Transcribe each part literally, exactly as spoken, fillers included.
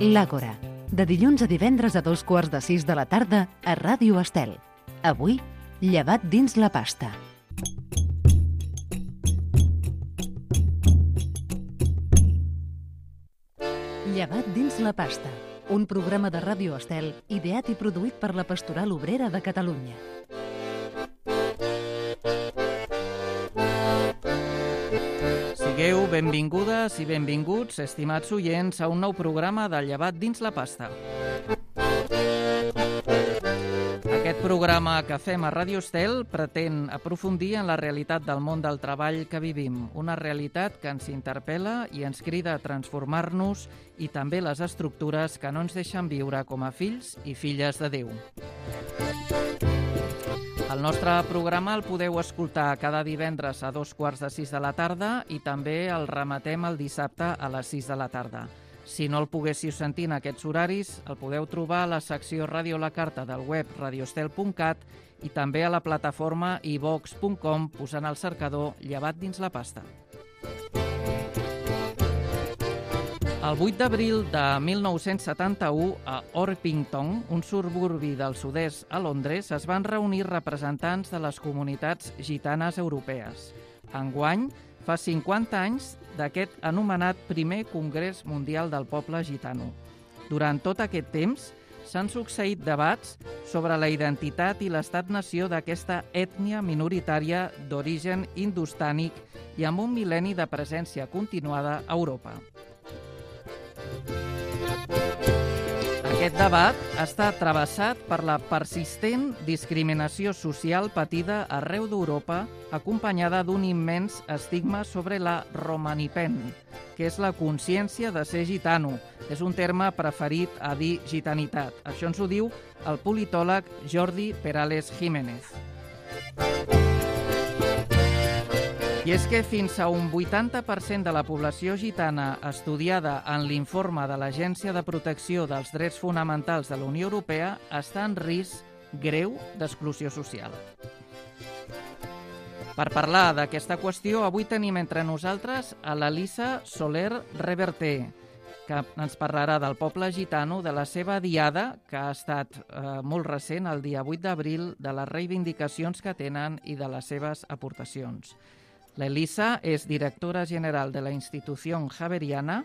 L'Àgora, de dilluns a divendres a dos quarts de sis de la tarda a Ràdio Estel. Avui, llevat dins la pasta. Llevat dins la pasta, un programa de Ràdio Estel ideat i produït per la Pastoral Obrera de Catalunya. Sigueu benvingudes i benvinguts, estimats oients, a un nou programa de Llevat dins la pasta. Aquest programa que fem a Ràdio Estel pretén aprofundir en la realitat del món del treball que vivim, una realitat que ens interpel·la i ens crida a transformar-nos i també les estructures que no ens deixen viure com a fills i filles de Déu. El nostre programa el podeu escoltar cada divendres a dos quarts de sis de la tarda i també el rematem el dissabte a les sis de la tarda. Si no el poguéssiu sentir en aquests horaris, el podeu trobar a la secció Ràdio la Carta del web radioestel punt cat i també a la plataforma i vox punt com posant al cercador Llevat dins la pasta. El vuit d'abril de mil nou-cents setanta-u, a Orpington, un suburbi del sud-est a Londres, es van reunir representants de les comunitats gitanes europees. Enguany, fa cinquanta anys d'aquest anomenat primer Congrés Mundial del Poble Gitano. Durant tot aquest temps, s'han succeït debats sobre la identitat i l'estat-nació d'aquesta ètnia minoritària d'origen indostànic i amb un mil·lenni de presència continuada a Europa. Aquest debat està travessat per la persistent discriminació social patida arreu d'Europa, acompanyada d'un immens estigma sobre la romanipen, que és la consciència de ser gitano. És un terme preferit a dir gitanitat. Això ens ho diu el politòleg Jordi Perales Jiménez. I és que fins a un vuitanta per cent de la població gitana estudiada en l'informe de l'Agència de Protecció dels Drets Fonamentals de la Unió Europea està en risc greu d'exclusió social. Per parlar d'aquesta qüestió, avui tenim entre nosaltres a l'Elisa Soler Reverter, que ens parlarà del poble gitano, de la seva diada, que ha estat eh, molt recent, el dia vuit d'abril, de les reivindicacions que tenen i de les seves aportacions. L'Elisa és directora general de la Institució Javeriana,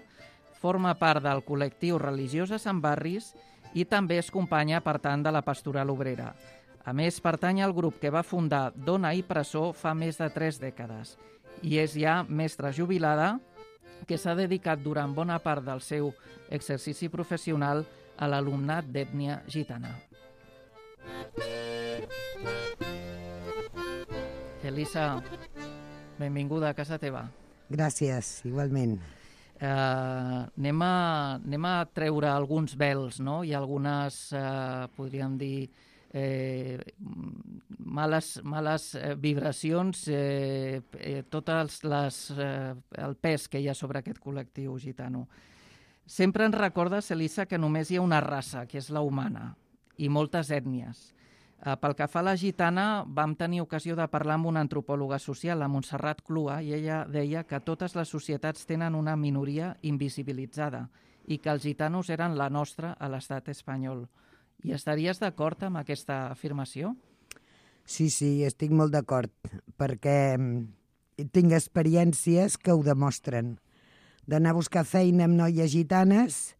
forma part del col·lectiu Religioses en Barris i també és companya, per tant, de la Pastoral Obrera. A més, pertany al grup que va fundar Dona i Presó fa més de tres dècades i és ja mestra jubilada que s'ha dedicat durant bona part del seu exercici professional a l'alumnat d'ètnia gitana. Elisa, benvinguda a casa teva. Gràcies, igualment. Eh, anem, a, anem a treure alguns vels, no? Hi ha algunes, eh, podríem dir, eh, males, males vibracions, eh, eh, totes les, eh, el pes que hi ha sobre aquest col·lectiu gitano. Sempre ens recordes, Elisa, que només hi ha una raça, que és la humana, i moltes ètnies. Pel que fa a la gitana, vam tenir ocasió de parlar amb una antropòloga social, la Montserrat Clua, i ella deia que totes les societats tenen una minoria invisibilitzada i que els gitanos eren la nostra a l'estat espanyol. I estaries d'acord amb aquesta afirmació? Sí, sí, estic molt d'acord, perquè tinc experiències que ho demostren. D'anar a buscar feina amb noies gitanes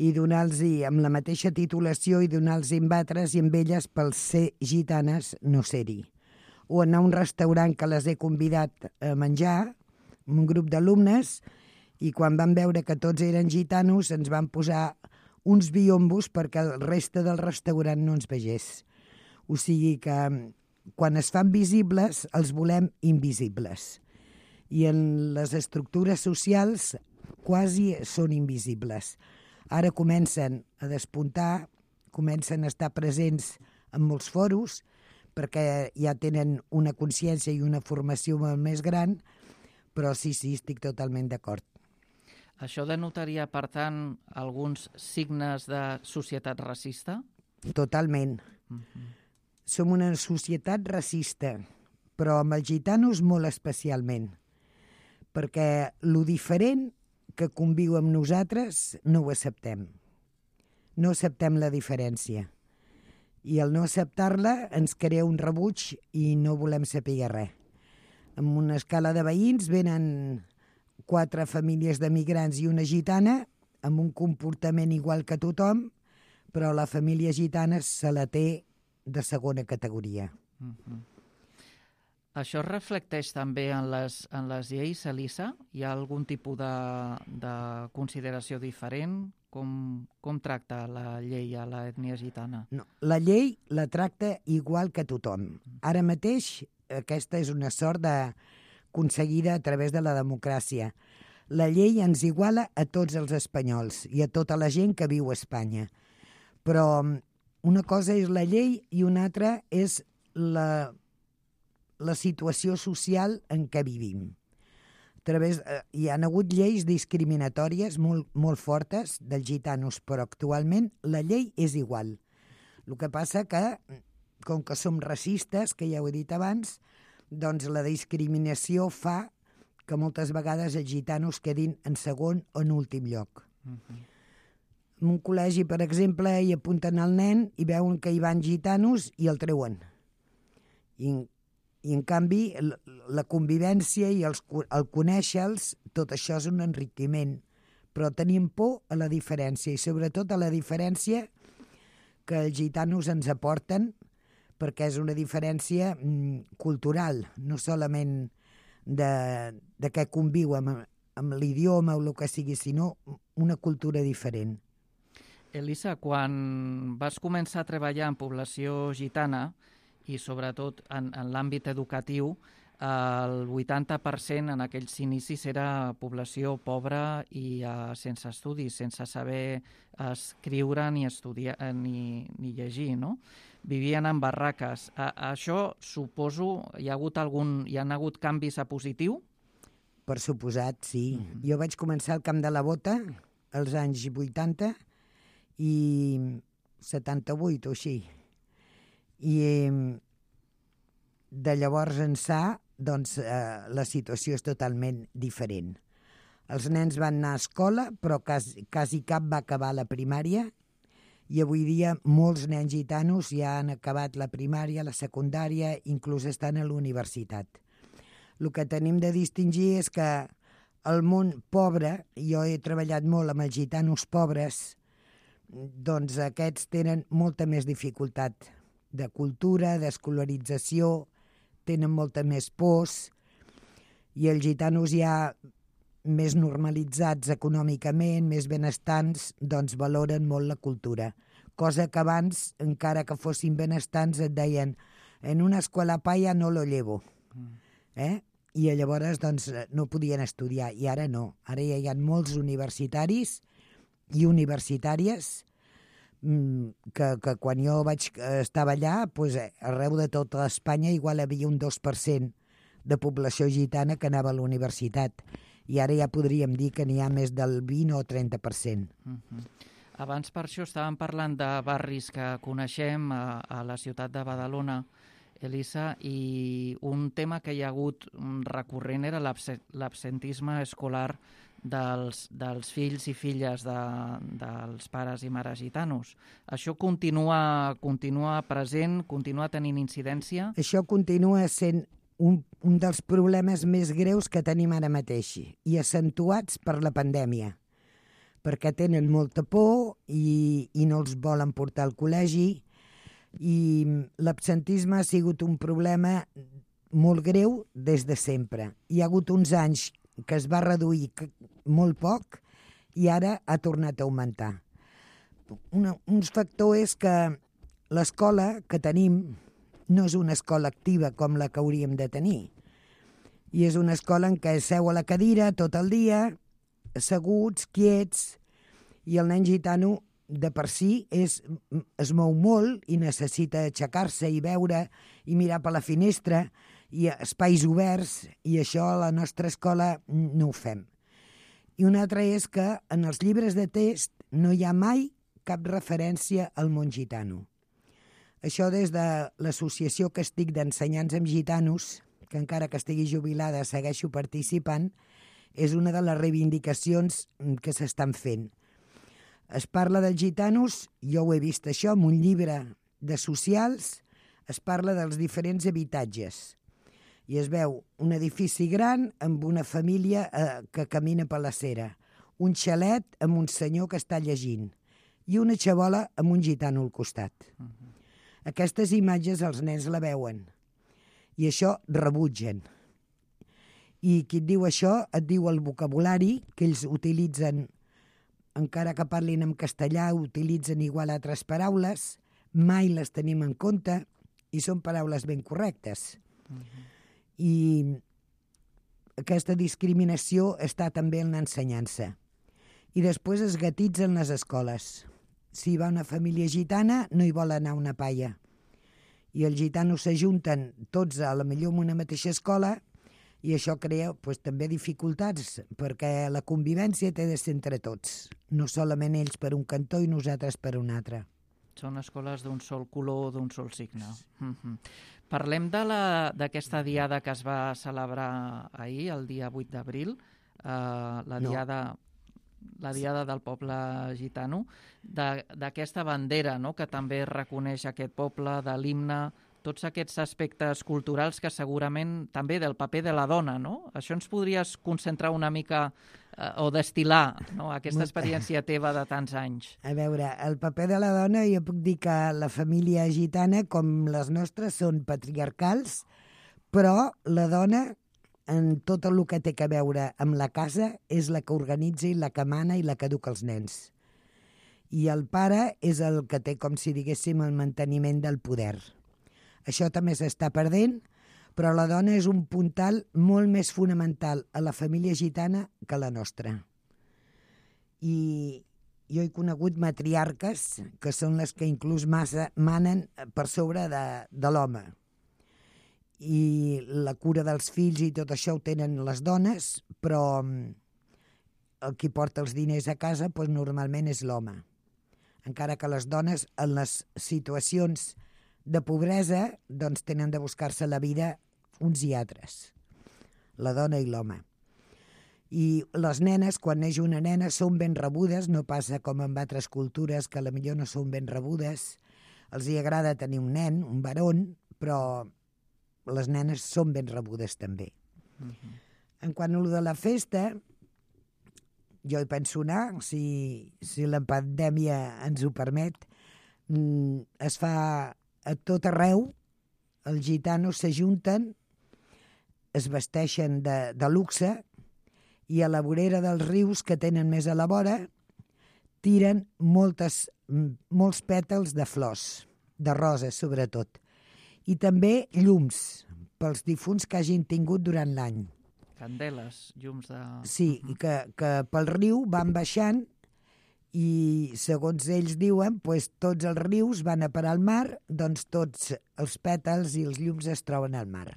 i donar-los amb la mateixa titulació i donar-los imbatres i amb elles pel ser gitanes no ser-hi. O anar a un restaurant que les he convidat a menjar, amb un grup d'alumnes, i quan van veure que tots eren gitanos ens van posar uns biombos perquè el reste del restaurant no ens vegés. O sigui que quan es fan visibles els volem invisibles. I en les estructures socials quasi són invisibles. Ara comencen a despuntar, comencen a estar presents en molts foros, perquè ja tenen una consciència i una formació molt més gran, però sí, sí, estic totalment d'acord. Això denotaria, per tant, alguns signes de societat racista? Totalment. Uh-huh. Som una societat racista, però amb els gitanos molt especialment, perquè lo diferent que conviu amb nosaltres no ho acceptem. no acceptem la diferència. I al no acceptar-la ens crea un rebuig i no volem saber res. En una escala de veïns venen quatre famílies de migrants i una gitana amb un comportament igual que tothom, però la família gitana se la té de segona categoria. Uh-huh. Això es reflecteix també en les, en les lleis, Elisa? Hi ha algun tipus de, de consideració diferent? Com, com tracta la llei a l'ètnia gitana? No, la llei la tracta igual que tothom. Ara mateix aquesta és una sort de, aconseguida a través de la democràcia. La llei ens iguala a tots els espanyols i a tota la gent que viu a Espanya. Però una cosa és la llei i una altra és la, la situació social en què vivim. A través, eh, hi ha hagut lleis discriminatòries molt, molt fortes dels gitanos, però actualment la llei és igual. El que passa que, com que som racistes, que ja ho he dit abans, doncs la discriminació fa que moltes vegades els gitanos quedin en segon o en últim lloc. Uh-huh. En un col·legi, per exemple, hi apunten el nen i veuen que hi van gitanos i el treuen. I, i en canvi, la convivència i els, el conèixer-los, tot això és un enriquiment. Però tenim por a la diferència, i sobretot a la diferència que els gitanos ens aporten, perquè és una diferència mm, cultural, no solament de, de què conviu amb, amb l'idioma o el que sigui, sinó una cultura diferent. Elisa, quan vas començar a treballar en població gitana i sobretot en, en l'àmbit educatiu, el vuitanta per cent en aquells inicis era població pobra i uh, sense estudis, sense saber escriure ni estudiar ni, ni llegir, no? Vivien en barraques. A, això, suposo, hi ha hagut algun, hi ha hagut canvis a positiu? Per suposat, sí. Mm-hmm. Jo vaig començar al Camp de la Bota als anys vuitanta i setanta-vuit o així. I de llavors ençà, doncs, eh, la situació és totalment diferent. Els nens van anar a escola, però quasi, quasi cap va acabar la primària, i avui dia molts nens gitanos ja han acabat la primària, la secundària, inclús estan a la universitat. El que tenim de distingir és que el món pobre, jo he treballat molt amb els gitanos pobres, doncs aquests tenen molta més dificultat de cultura, d'escolarització, tenen molta més pors, i els gitanos ja més normalitzats econòmicament, més benestants, doncs valoren molt la cultura. Cosa que abans, encara que fossin benestants, et deien en una escola paia no lo llevo. Eh? I llavors doncs, no podien estudiar, i ara no. Ara ja hi ha molts universitaris i universitàries que, que quan jo vaig estava allà, doncs, arreu de tota Espanya igual hi havia un dos per cent de població gitana que anava a la universitat. I ara ja podríem dir que n'hi ha més del vint o trenta per cent. Uh-huh. Abans per això estàvem parlant de barris que coneixem a, a la ciutat de Badalona, Elisa, i un tema que hi ha hagut recurrent era l'absentisme escolar dels, dels fills i filles de, dels pares i mares gitanos. Això continua, continua present, continua tenint incidència? Això continua sent un, un dels problemes més greus que tenim ara mateix, i accentuats per la pandèmia, perquè tenen molta por i, i no els volen portar al col·legi, i l'absentisme ha sigut un problema molt greu des de sempre. Hi ha hagut uns anys que es va reduir molt poc i ara ha tornat a augmentar. Una, un factor és que l'escola que tenim no és una escola activa com la que hauríem de tenir. I és una escola en què seu a la cadira tot el dia, asseguts, quiets, i el nen gitano de per si és, es mou molt i necessita aixecar-se i veure i mirar per la finestra i espais oberts, i això a la nostra escola no ho fem. I una altra és que en els llibres de text no hi ha mai cap referència al món gitano. Això des de l'associació que estic d'ensenyants amb gitanos, que encara que estigui jubilada segueixo participant, és una de les reivindicacions que s'estan fent. Es parla dels gitanos, jo ho he vist això, en un llibre de socials, es parla dels diferents habitatges. I es veu un edifici gran amb una família eh, que camina per la cera, un xalet amb un senyor que està llegint i una xabola amb un gitano al costat. Uh-huh. Aquestes imatges els nens la veuen i això rebutgen. I qui et diu això et diu el vocabulari que ells utilitzen, encara que parlin en castellà, utilitzen igual altres paraules, mai les tenim en compte i són paraules ben correctes. Uh-huh. I aquesta discriminació està també en l'ensenyança. I després es gatitzen les escoles. Si va una família gitana, no hi vol anar una paia. I els gitanos s'ajunten tots a la millor en una mateixa escola i això crea pues, també dificultats, perquè la convivència té de ser entre tots, no solament ells per un cantó i nosaltres per un altre. Són escoles d'un sol color, d'un sol signe. Mm-hmm. Parlem de la, d'aquesta diada que es va celebrar ahir, el dia vuit d'abril, eh, la diada... No. la diada del poble gitano, de, d'aquesta bandera, no?, que també reconeix aquest poble, de l'himne, tots aquests aspectes culturals que segurament també del paper de la dona, no? Això ens podries concentrar una mica eh, o destilar, no?, aquesta experiència teva de tants anys. A veure, el paper de la dona, jo puc dir que la família gitana, com les nostres, són patriarcals, però la dona, en tot el que té a veure amb la casa, és la que organitza i la que mana i la que educa els nens. I el pare és el que té, com si diguéssim, el manteniment del poder. Això també s'està perdent, però la dona és un puntal molt més fonamental a la família gitana que la nostra. I jo he conegut matriarques, que són les que inclús massa manen per sobre de, de l'home. I la cura dels fills i tot això ho tenen les dones, però el qui porta els diners a casa doncs normalment és l'home. Encara que les dones en les situacions de pobresa doncs tenen de buscar-se la vida uns i altres, la dona i l'home. I les nenes, quan neix una nena, són ben rebudes, no passa com en altres cultures que potser no són ben rebudes. Els hi agrada tenir un nen, un barón, però les nenes són ben rebudes també. Uh-huh. En quant a lo de la festa, jo hi penso anar, si, si la pandèmia ens ho permet, es fa a tot arreu, els gitanos s'ajunten, es vesteixen de, de luxe i a la vorera dels rius que tenen més a la vora tiren moltes, molts pètals de flors, de roses sobretot. I també llums pels difunts que hagin tingut durant l'any. Candeles, llums de... Sí, i que, que pel riu van baixant i, segons ells diuen, pues, tots els rius van a parar al mar, doncs tots els pètals i els llums es troben al mar.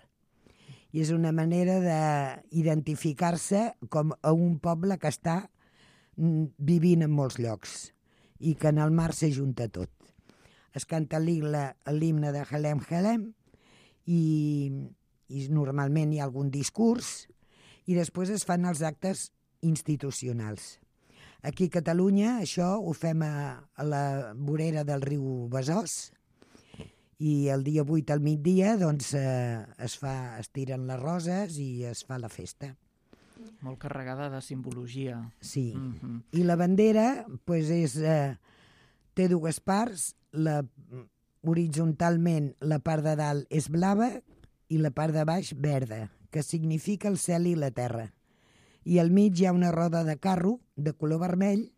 I és una manera d'identificar-se com a un poble que està vivint en molts llocs i que en el mar s'ajunta tot. Es canta l'himne de Helem Helem i, i normalment hi ha algun discurs i després es fan els actes institucionals. Aquí a Catalunya això ho fem a, a la vorera del riu Besòs i el dia vuit al migdia doncs, eh, es, fa, es tiren les roses i es fa la festa. Molt carregada de simbologia. Sí, mm-hmm. I la bandera pues, és, eh, té dues parts. La, horitzontalment la part de dalt és blava i la part de baix verda, que significa el cel i la terra. I al mig hi ha una roda de carro de color vermell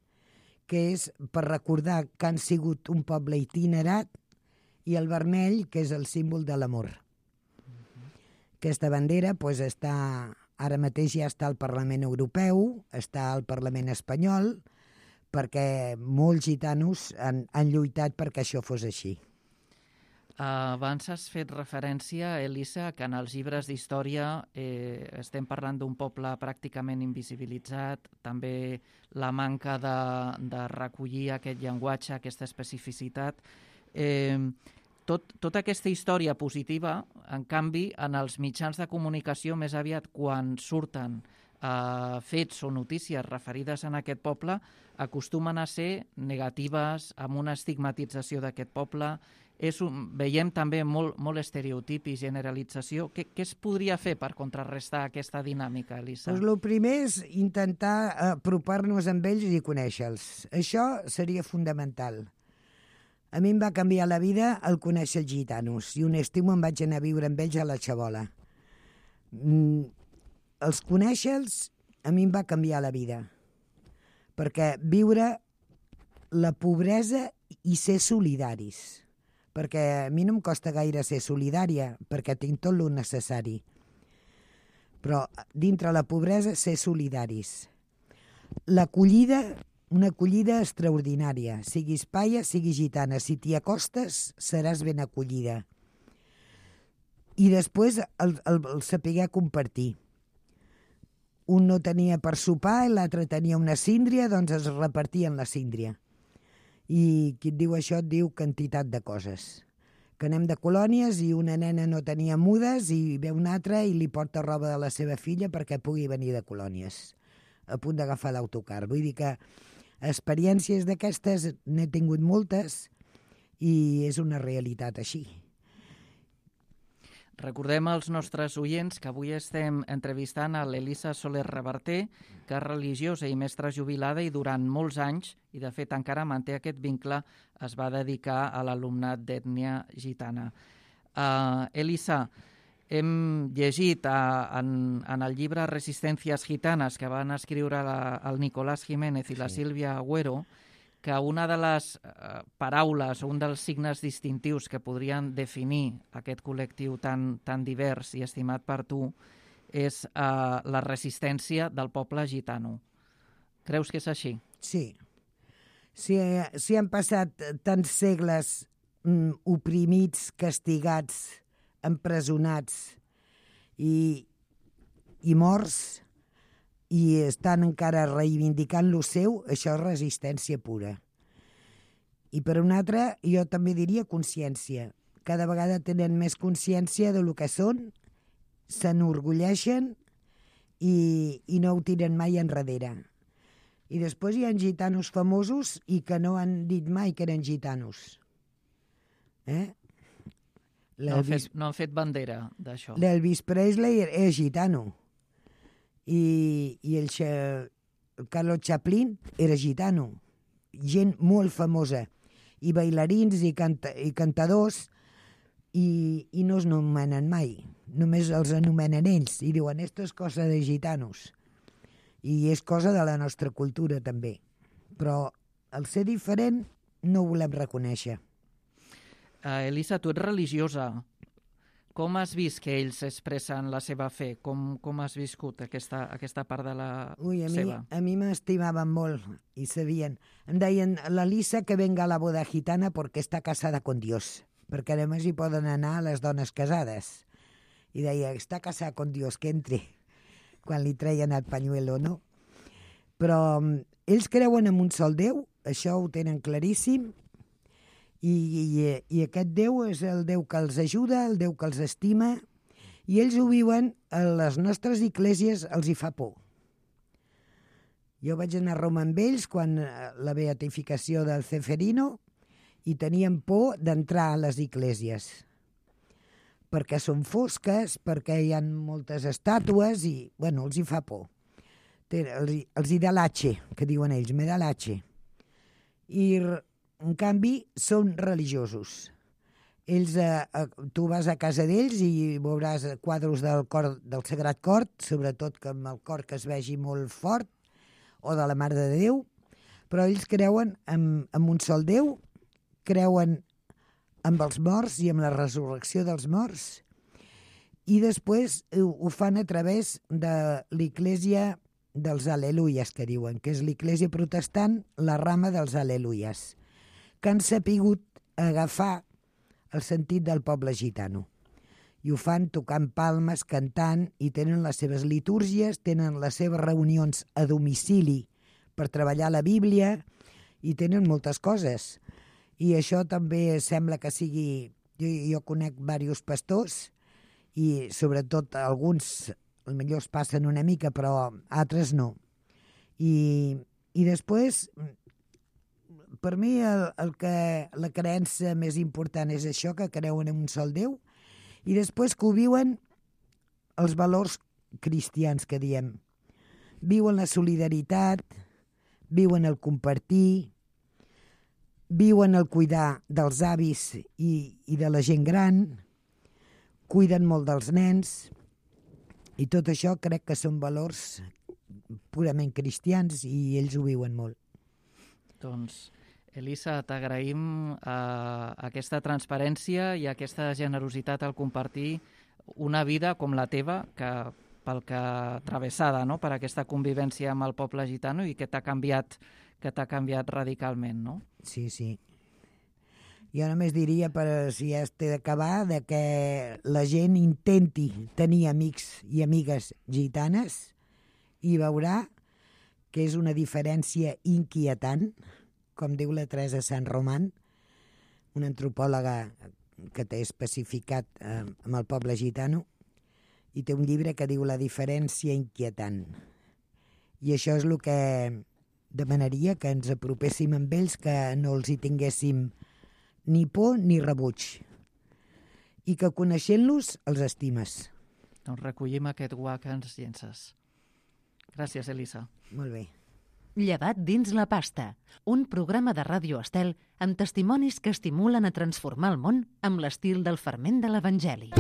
que és per recordar que han sigut un poble itinerat i el vermell que és el símbol de l'amor. Uh-huh. Aquesta bandera pues, està, ara mateix ja està al Parlament Europeu, està al Parlament Espanyol, perquè molts gitanos han, han lluitat perquè això fos així. Uh, abans has fet referència, Elisa, que en els llibres d'història eh, estem parlant d'un poble pràcticament invisibilitzat, també la manca de, de recollir aquest llenguatge, aquesta especificitat. Eh, tot, tota aquesta història positiva, en canvi, en els mitjans de comunicació més aviat quan surten eh, fets o notícies referides en aquest poble acostumen a ser negatives, amb una estigmatització d'aquest poble. És un, veiem també molt, molt estereotip i generalització. Què, què es podria fer per contrarrestar aquesta dinàmica, Elisa? Doncs el primer és intentar apropar-nos amb ells i conèixer-los. Això seria fundamental. A mi em va canviar la vida el conèixer els gitanos i un estiu em vaig anar a viure amb ells a la Xabola. Mm, els conèixer-los a mi em va canviar la vida, perquè viure la pobresa i ser solidaris, perquè a mi no em costa gaire ser solidària, perquè tinc tot el necessari, però dintre la pobresa ser solidaris. L'acollida, una acollida extraordinària, siguis paia, siguis gitana, si t'hi acostes seràs ben acollida. I després el, el, el saber compartir. Un no tenia per sopar, l'altre tenia una síndria, doncs es repartien la síndria. I qui et diu això et diu quantitat de coses. Que anem de colònies i una nena no tenia mudes i ve una altra i li porta roba de la seva filla perquè pugui venir de colònies, a punt d'agafar l'autocar. Vull dir que experiències d'aquestes n'he tingut moltes i és una realitat així. Recordem als nostres oients que avui estem entrevistant a l'Elisa Soler Reverter, que és religiosa i mestra jubilada i durant molts anys, i de fet encara manté aquest vincle, es va dedicar a l'alumnat d'ètnia gitana. Uh, Elisa, hem llegit uh, en, en el llibre Resistències gitanes que van escriure la, el Nicolás Jiménez i la sí. Sílvia Agüero, que una de les uh, paraules o un dels signes distintius que podrien definir aquest col·lectiu tan, tan divers i estimat per tu és uh, la resistència del poble gitano. Creus que és així? Sí. Si, si han passat tants segles mm, oprimits, castigats, empresonats i, i morts, i estan encara reivindicant lo seu, això és resistència pura. I per una altra, jo també diria consciència. Cada vegada tenen més consciència de lo que són, s'enorgulleixen i, i no ho tiren mai enrere. I després hi ha gitanos famosos i que no han dit mai que eren gitanos. Eh? No han, fet, no han fet bandera d'això. L'Elvis Presley és gitano. I, i el, el Carlos Chaplin era gitano. Gent molt famosa. I bailarins i, canta, i cantadors i, i no es nomenen mai. Només els anomenen ells i diuen esto és cosa de gitanos. I és cosa de la nostra cultura també. Però el ser diferent no ho volem reconèixer. Uh, Elisa, tu ets religiosa. Com has vist que ells expressen la seva fe? Com, com has viscut aquesta, aquesta part de la Ui, a mi, seva? A mi m'estimaven molt i sabien. Em deien, la Lisa que venga a la boda gitana porque está casada con Dios. Perquè a més hi poden anar les dones casades. I deia, està casada con Dios, que entre. Quan li treien el pañuelo, no? Però um, ells creuen en un sol Déu, això ho tenen claríssim, I, i, i aquest Déu és el Déu que els ajuda, el Déu que els estima, i ells ho viuen, a les nostres esglésies els hi fa por. Jo vaig anar a Roma amb ells quan la beatificació del Ceferino i tenien por d'entrar a les esglésies, perquè són fosques, perquè hi ha moltes estàtues i, bueno, els hi fa por. Els, els hi da l'atxe, que diuen ells, me da l'atxe. I en canvi, són religiosos. Ells, eh, tu vas a casa d'ells i veuràs quadres del, cor, del Sagrat Cor, sobretot que amb el cor que es vegi molt fort, o de la Mare de Déu, però ells creuen en, en un sol Déu, creuen amb els morts i amb la resurrecció dels morts, i després ho, ho fan a través de l'Església dels Al·leluies, que diuen, que és l'Església protestant, la rama dels Al·leluies, que han sapigut agafar el sentit del poble gitano. I ho fan tocant palmes, cantant, i tenen les seves litúrgies, tenen les seves reunions a domicili per treballar la Bíblia, i tenen moltes coses. I això també sembla que sigui... Jo, jo conec diversos pastors, i sobretot alguns potser es passen una mica, però altres no. I, i després, per mi el, el que, la creença més important és això, que creuen en un sol Déu, i després que ho viuen els valors cristians que diem. Viuen la solidaritat, viuen el compartir, viuen el cuidar dels avis i, i de la gent gran, cuiden molt dels nens, i tot això crec que són valors purament cristians i ells ho viuen molt. Doncs, Elisa, t'agraïm eh, aquesta transparència i aquesta generositat al compartir una vida com la teva, que pel que travessada, no?, per aquesta convivència amb el poble gitano i que t'ha canviat que t'ha canviat radicalment, no? Sí, sí. Jo només diria, per si ja té d'acabar, de que la gent intenti tenir amics i amigues gitanes i veurà que és una diferència inquietant, com diu la Teresa Sant Román, una antropòloga que té especificat eh, amb el poble gitano, i té un llibre que diu La diferència inquietant. I això és el que demanaria, que ens apropéssim amb ells, que no els hi tinguéssim ni por ni rebuig, i que coneixent-los els estimes. Doncs recollim aquest guà que ens llences. Gràcies, Elisa. Molt bé. Llevat dins la pasta, un programa de Ràdio Estel amb testimonis que estimulen a transformar el món amb l'estil del ferment de l'Evangeli.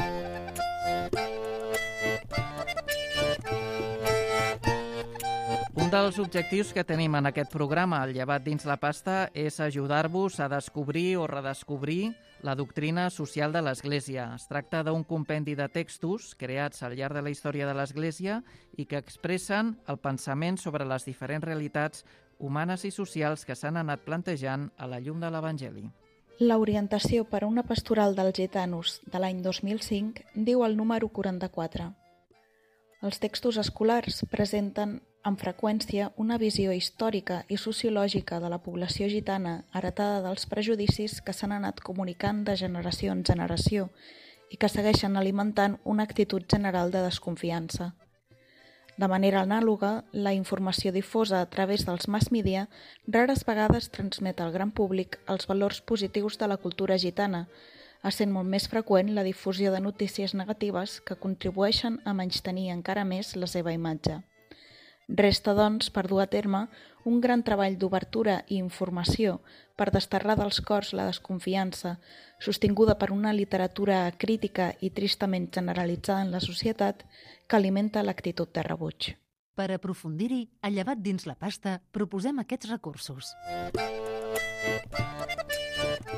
Un dels objectius que tenim en aquest programa, el Llevat dins la pasta, és ajudar-vos a descobrir o redescobrir la doctrina social de l'Església. Es tracta d'un compendi de textos creats al llarg de la història de l'Església i que expressen el pensament sobre les diferents realitats humanes i socials que s'han anat plantejant a la llum de l'Evangeli. L'orientació per a una pastoral dels gitanos de l'any dos mil cinc diu el número quaranta-quatre. Els textos escolars presenten amb freqüència una visió històrica i sociològica de la població gitana heretada dels prejudicis que s'han anat comunicant de generació en generació i que segueixen alimentant una actitud general de desconfiança. De manera anàloga, la informació difosa a través dels mass media rares vegades transmet al gran públic els valors positius de la cultura gitana, essent molt més freqüent la difusió de notícies negatives que contribueixen a menystenir encara més la seva imatge. Resta, doncs, per dur a terme un gran treball d'obertura i informació per desterrar dels cors la desconfiança, sostinguda per una literatura crítica i tristament generalitzada en la societat que alimenta l'actitud de rebuig. Per aprofundir-hi, a Llevat dins la pasta, proposem aquests recursos.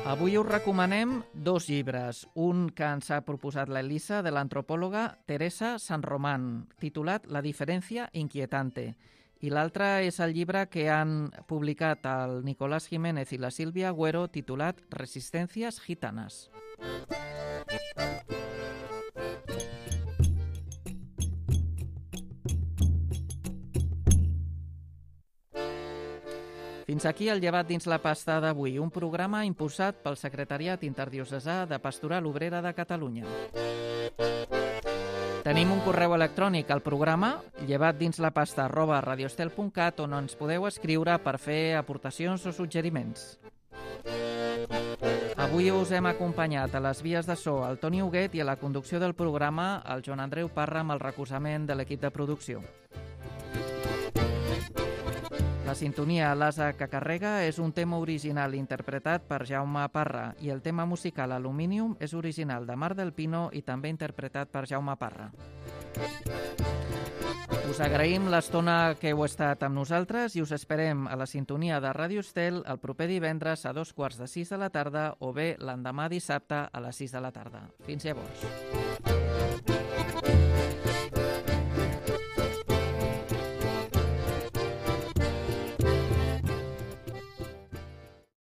Avui us recomanem dos llibres. Un que ens ha proposat l'Elisa, de l'antropòloga Teresa Sant Román, titulat La diferència inquietante. I l'altre és el llibre que han publicat el Nicolás Jiménez i la Sílvia Agüero, titulat Resistencias gitanas. Fins aquí el Llevat dins la pasta d'avui, un programa impulsat pel Secretariat Interdiocesà de Pastoral Obrera de Catalunya. Tenim un correu electrònic al programa, llevatdinslapasta arroba radioestel punt cat, on ens podeu escriure per fer aportacions o suggeriments. Avui us hem acompanyat a les vies de so el Toni Huguet i a la conducció del programa el Joan Andreu Parra amb el recolzament de l'equip de producció. La sintonia L'Asa que carrega és un tema original interpretat per Jaume Parra i el tema musical Aluminium és original de Mar del Pino i també interpretat per Jaume Parra. Us agraïm l'estona que heu estat amb nosaltres i us esperem a la sintonia de Ràdio Estel el proper divendres a dos quarts de sis de la tarda o bé l'endemà dissabte a les sis de la tarda. Fins llavors.